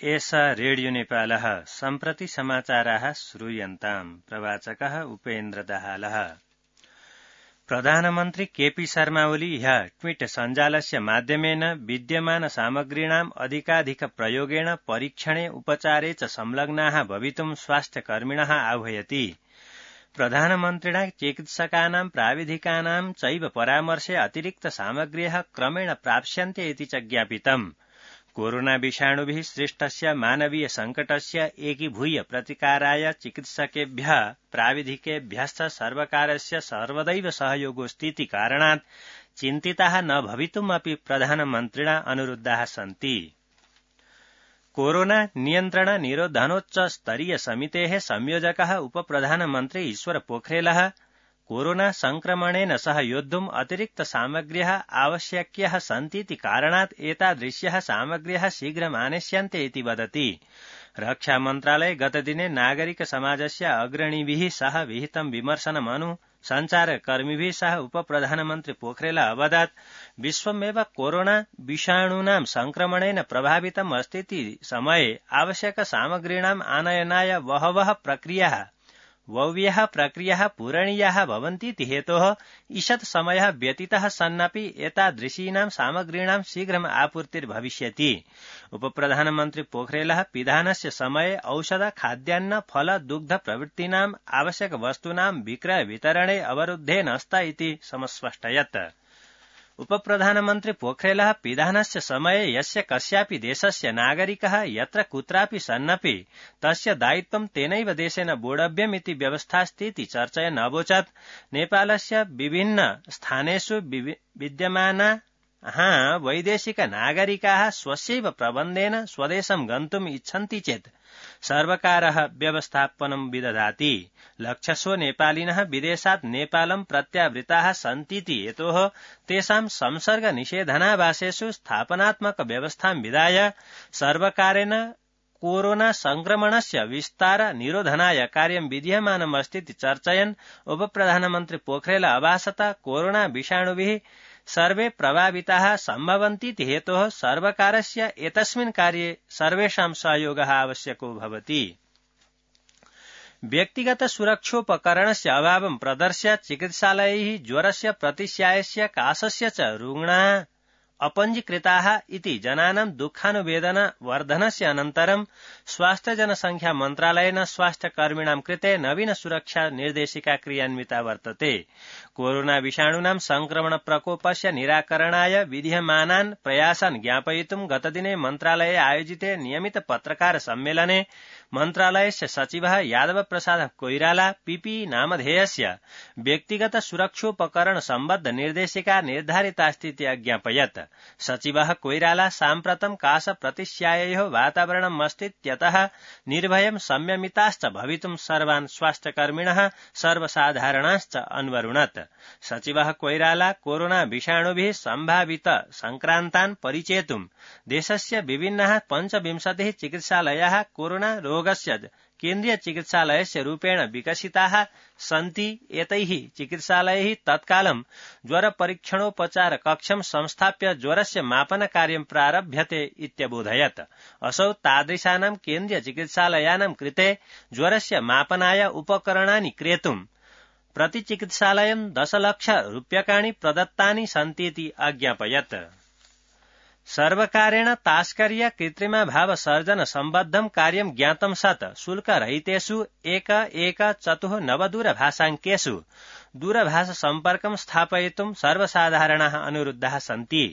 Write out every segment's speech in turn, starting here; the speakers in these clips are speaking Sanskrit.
एष रेडियो नेपालः सम्प्रति समाचाराः श्रूयन्ताम्। प्रवाचकः उपेन्द्र दाहालः। प्रधानमन्त्री केपी शर्मा ओली ह्यः ट्वीट सञ्जालस्य माध्यमेन विद्यमान सामग्रीणाम् अधिकाधिक प्रयोगेण परीक्षणे उपचारे च संलग्नाः भवितुम् स्वास्थ्यकर्मिणः आह्वयति। प्रधानमन्त्रिणा चिकित्सकानां प्राविधिकानां चैव परामर्शे अतिरिक्त सामग्र्यः क्रमेण प्राप्स्यन्ते इति च ज्ञापितम्। कोरोना विषाणुभिः सृष्टस्य मानवीय संकटस्य एकीभूय प्रतिकाराय चिकित्सकेभ्यः प्राविधिकेभ्यश्च सर्वकारस्य सर्वदैव सहयोगोऽस्तीति कारणात् चिन्तिताः न भवितुमपि प्रधानमन्त्रिणा अनुरुद्धाः सन्ति। कोरोना नियन्त्रण निरोधनोच्च स्तरीय समितेः संयोजकः उपप्रधानमन्त्री ईश्वर पोखरेलः कोरोना संक्रमणेन सह योद्धुम् अतिरिक्त सामग्र्यः आवश्यक्यः सन्तीति कारणात् एतादृश्यः सामग्र्यः शीघ्रम् आनेष्यन्ते इति वदति। रक्षा मन्त्रालये गतदिने नागरिक समाजस्य अग्रणीभिः सह विहितं विमर्शनमनु सञ्चारकर्मिभिः सह उपप्रधानमन्त्री पोखरेल अवदत् विश्वमेव कोरोना विषाणूनां संक्रमणेन प्रभावितम् अस्तीति समये आवश्यक सामग्रीणाम् आनयनाय बह्व्यः प्रक्रियाः पूरणीयाः भवन्तीति हेतोः ईषत् समयः व्यतीतः सन्नपि एतादृशीनां सामग्रीणां शीघ्रम् आपूर्तिर्भविष्यति। उपप्रधानमन्त्री पोखरेलः पिधानस्य समये औषध खाद्यान्न फल दुग्ध प्रभृतीनाम् आवश्यक वस्तूनां विक्रय वितरणे अवरुद्धे नस्त इति समस्पष्टयत्। उपप्रधानमन्त्री पोखरेलः पिधानस्य समये यस्य कस्यापि देशस्य नागरिकः यत्र कुत्रापि सन्नपि तस्य दायित्वं तेनैव देशेन बोढव्यमिति व्यवस्थास्तीति चर्चयन् अवोचत्। नेपालस्य विभिन्न स्थानेषु विद्यमानाः वैदेशिक नागरिकाः स्वस्यैव प्रबन्धेन स्वदेशं गन्तुम् इच्छन्ति चेत् सर्वकारः व्यवस्थापनं विदधाति। लक्षशो नेपालिनः विदेशात् नेपालं प्रत्यावृताः सन्तीति हेतोः तेषां संसर्ग निषेधनावासेषु स्थापनात्मक व्यवस्थां विधाय सर्वकारेण कोरोना संक्रमणस्य विस्तार निरोधनाय कार्यं विधीयमानमस्तीति चर्चयन् उपप्रधानमन्त्री पोखरेल अभाषत कोरोना विषाणुभिः सर्वे प्रभाविताः सम्भवन्तीति हेतोः सर्वकारस्य एतस्मिन् कार्ये सर्वेषां सहयोगः आवश्यको भवति। व्यक्तिगत सुरक्षोपकरणस्य अभावं प्रदर्श्य चिकित्सालयैः ज्वरस्य प्रतिश्यायस्य काशस्य च रुग्णाः अपञ्जीकृताः इति जनानां दुःखानुवेदना वर्धनस्य अनन्तरं स्वास्थ्य जनसंख्या मन्त्रालयेन स्वास्थ्यकर्मिणां कृते नवीन सुरक्षा निर्देशिका क्रियान्विता वर्तते। कोरोना विषाणूनां संक्रमण प्रकोपस्य निराकरणाय विधीयमानान् प्रयासान् ज्ञापयितुं गतदिने मन्त्रालये आयोजिते नियमित पत्रकार सम्मेलने मन्त्रालयस्य सचिवः यादव प्रसाद कोइराला पीपीई नामधेयस्य व्यक्तिगत सुरक्षोपकरण सम्बद्ध निर्देशिका निर्धारितास्तीति अज्ञापयत्। सचिवः कोइराला साम्प्रतं काश प्रतिश्याययोः वातावरणमस्तीत्यतः निर्भयं संयमिताश्च भवितुं सर्वान् स्वास्थ्यकर्मिणः सर्वसाधारणाश्च अन्वरुणत्। सचिवः कोइराला कोरोना विषाणुभिः सम्भावित संक्रान्तान् परिचेतुं देशस्य विभिन्नाः 25 चिकित्सालयाः कोरोना रोगस्य केन्द्रीय चिकित्सालयस्य रूपेण विकसिताः सन्ति। एतैः चिकित्सालयैः तत्कालं ज्वर परीक्षणोपचार कक्षं संस्थाप्य ज्वरस्य मापन कार्यं प्रारभ्यते इत्यबोधयत्। असौ तादृशानां केन्द्रीय चिकित्सालयानां कृते ज्वरस्य मापनाय उपकरणानि क्रेतुं प्रतिचिकित्सालयं 10 लाख रूप्यकाणि प्रदत्तानि सन्तीति अज्ञापयत्। सर्वकारेण तास्कर्य कृत्रिमाभाव सर्जन सम्बद्धं कार्यं ज्ञातं सत् शुल्करहितेषु 1114 दूरभाषाङ्केषु दूरभाष सम्पर्कं स्थापयितुं सर्वसाधारणाः अनुरुद्धाः सन्ति।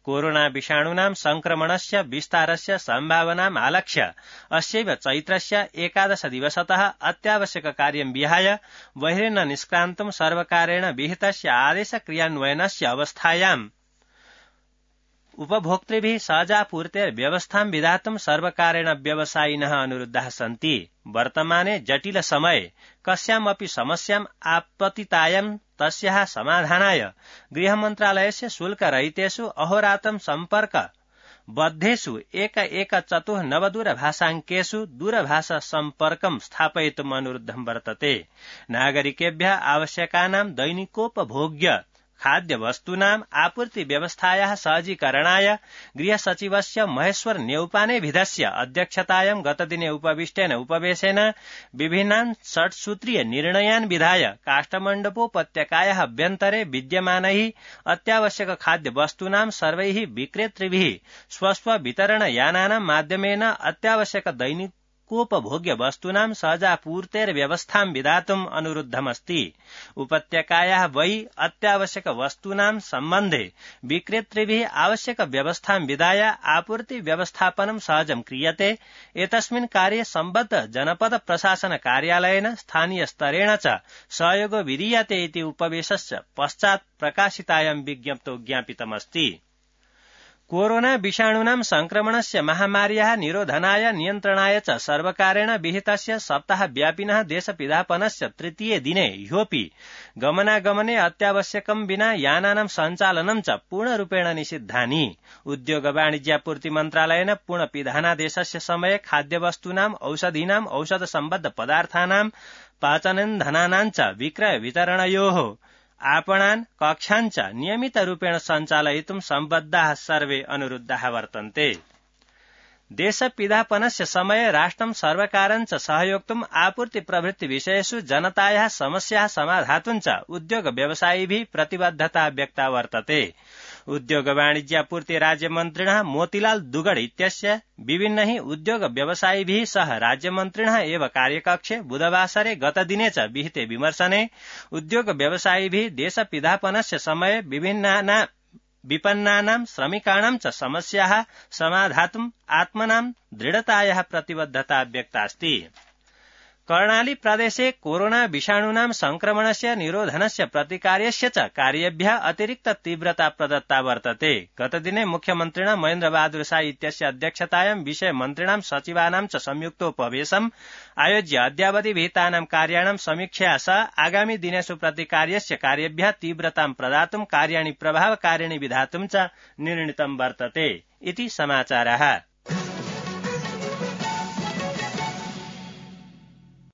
कोरोना विषाणूनां संक्रमणस्य विस्तारस्य सम्भावनाम् आलक्ष्य अस्यैव चैत्रस्य 11 दिवसतः अत्यावश्यक कार्यं विहाय बहिर्न निष्क्रान्तुं सर्वकारेण विहितस्य आदेश क्रियान्वयनस्य अवस्थायाम् उपभोक्तृभिः सहजापूर्तेर्व्यवस्थां विधातुं सर्वकारेण व्यवसायिनः अनुरुद्धाः सन्ति। वर्तमाने जटिल समये कस्यामपि समस्याम् आपतितायां तस्याः समाधानाय गृहमन्त्रालयस्य शुल्करहितेषु अहोरात्रं सम्पर्क बद्धेषु 1114 दूरभाषाङ्केषु दूरभाष सम्पर्कं स्थापयितुम् अनुरुद्धं वर्तते। नागरिकेभ्यः आवश्यकानां दैनिकोपभोग्य खाद्यवस्तूनाम् आपूर्ति व्यवस्थायाः सहजीकरणाय गृहसचिवस्य महेश्वर न्यौपानेभिधस्य अध्यक्षतायां गतदिने उपविष्टेन उपवेशेन विभिन्नान् षट्सूत्रीय निर्णयान् विधाय काष्ठमण्डपोपत्यकायाः अभ्यन्तरे विद्यमानैः अत्यावश्यक खाद्यवस्तूनां सर्वैः विक्रेतृभिः स्वस्व वितरणयानानां माध्यमेन अत्यावश्यक दैनिकोपभोग्य वस्तूनां सहजापूर्तेर्व्यवस्थां विधातुम् अनुरुद्धमस्ति। उपत्यकायाः वै अत्यावश्यक वस्तूनां सम्बन्धे विक्रेतृभिः आवश्यक व्यवस्थां विधाय आपूर्ति व्यवस्थापनं सहजं क्रियते। एतस्मिन् कार्ये सम्बद्ध जनपद प्रशासन कार्यालयेन स्थानीय स्तरेण च सहयोगो विधीयते इति उपवेशस्य पश्चात् प्रकाशितायां विज्ञप्तौ ज्ञापितमस्ति। कोरोना विषाणूनां संक्रमणस्य महामार्याः निरोधनाय नियन्त्रणाय च सर्वकारेण विहितस्य सप्ताहव्यापिनः देशपिधापनस्य तृतीये दिने ह्योऽपि गमनागमने अत्यावश्यकं विना यानानां सञ्चालनं च पूर्णरूपेण निषिद्धानि। उद्योग वाणिज्यापूर्ति मन्त्रालयेन पूर्णपिधानादेशस्य समये खाद्यवस्तूनां औषधीनां औषधसम्बद्ध पदार्थानां पाचनेन्धनानां च विक्रय वितरणयोः आपणान् कक्षान् च नियमितरूपेण सञ्चालयितुं सम्बद्धाः सर्वे अनुरुद्धाः वर्तन्ते। देशपिधापनस्य समये राष्ट्रं सर्वकारं च सहयोक्तुम् आपूर्ति प्रभृति विषयेषु जनतायाः समस्याः समाधातुं च उद्योग व्यवसायिभिः प्रतिबद्धता व्यक्ता वर्तते। उद्योग वाणिज्यापूर्ति राज्यमन्त्रिणः मोतीलाल दुगड़ इत्यस्य विभिन्नैः उद्योग व्यवसायिभिः सह राज्यमन्त्रिणः एव कार्यकक्षे बुधवासरे गतदिने च विहिते विमर्शने उद्योग व्यवसायिभिः देशपिधापनस्य समये विपन्नानां श्रमिकाणां च समस्याः समाधातुम् आत्मनां दृढतायाः प्रतिबद्धता व्यक्तास्ति। कर्णाली प्रदेशे कोरोना विषाणूनां संक्रमणस्य निरोधनस्य प्रतिकार्यस्य च कार्येभ्यः अतिरिक्त तीव्रता प्रदत्ता वर्तते। गतदिने मुख्यमन्त्रिणा महेन्द्र बहादुर शाही इत्यस्य अध्यक्षतायां विषयमन्त्रिणां सचिवानां च संयुक्तोपवेशम् आयोज्य अद्यावधि विहितानां कार्याणां समीक्षया सह आगामि दिनेषु प्रतिकार्यस्य कार्येभ्यः तीव्रतां प्रदातुं कार्याणि प्रभावकारिणि विधातुं च निर्णीतं वर्तते इति समाचारः।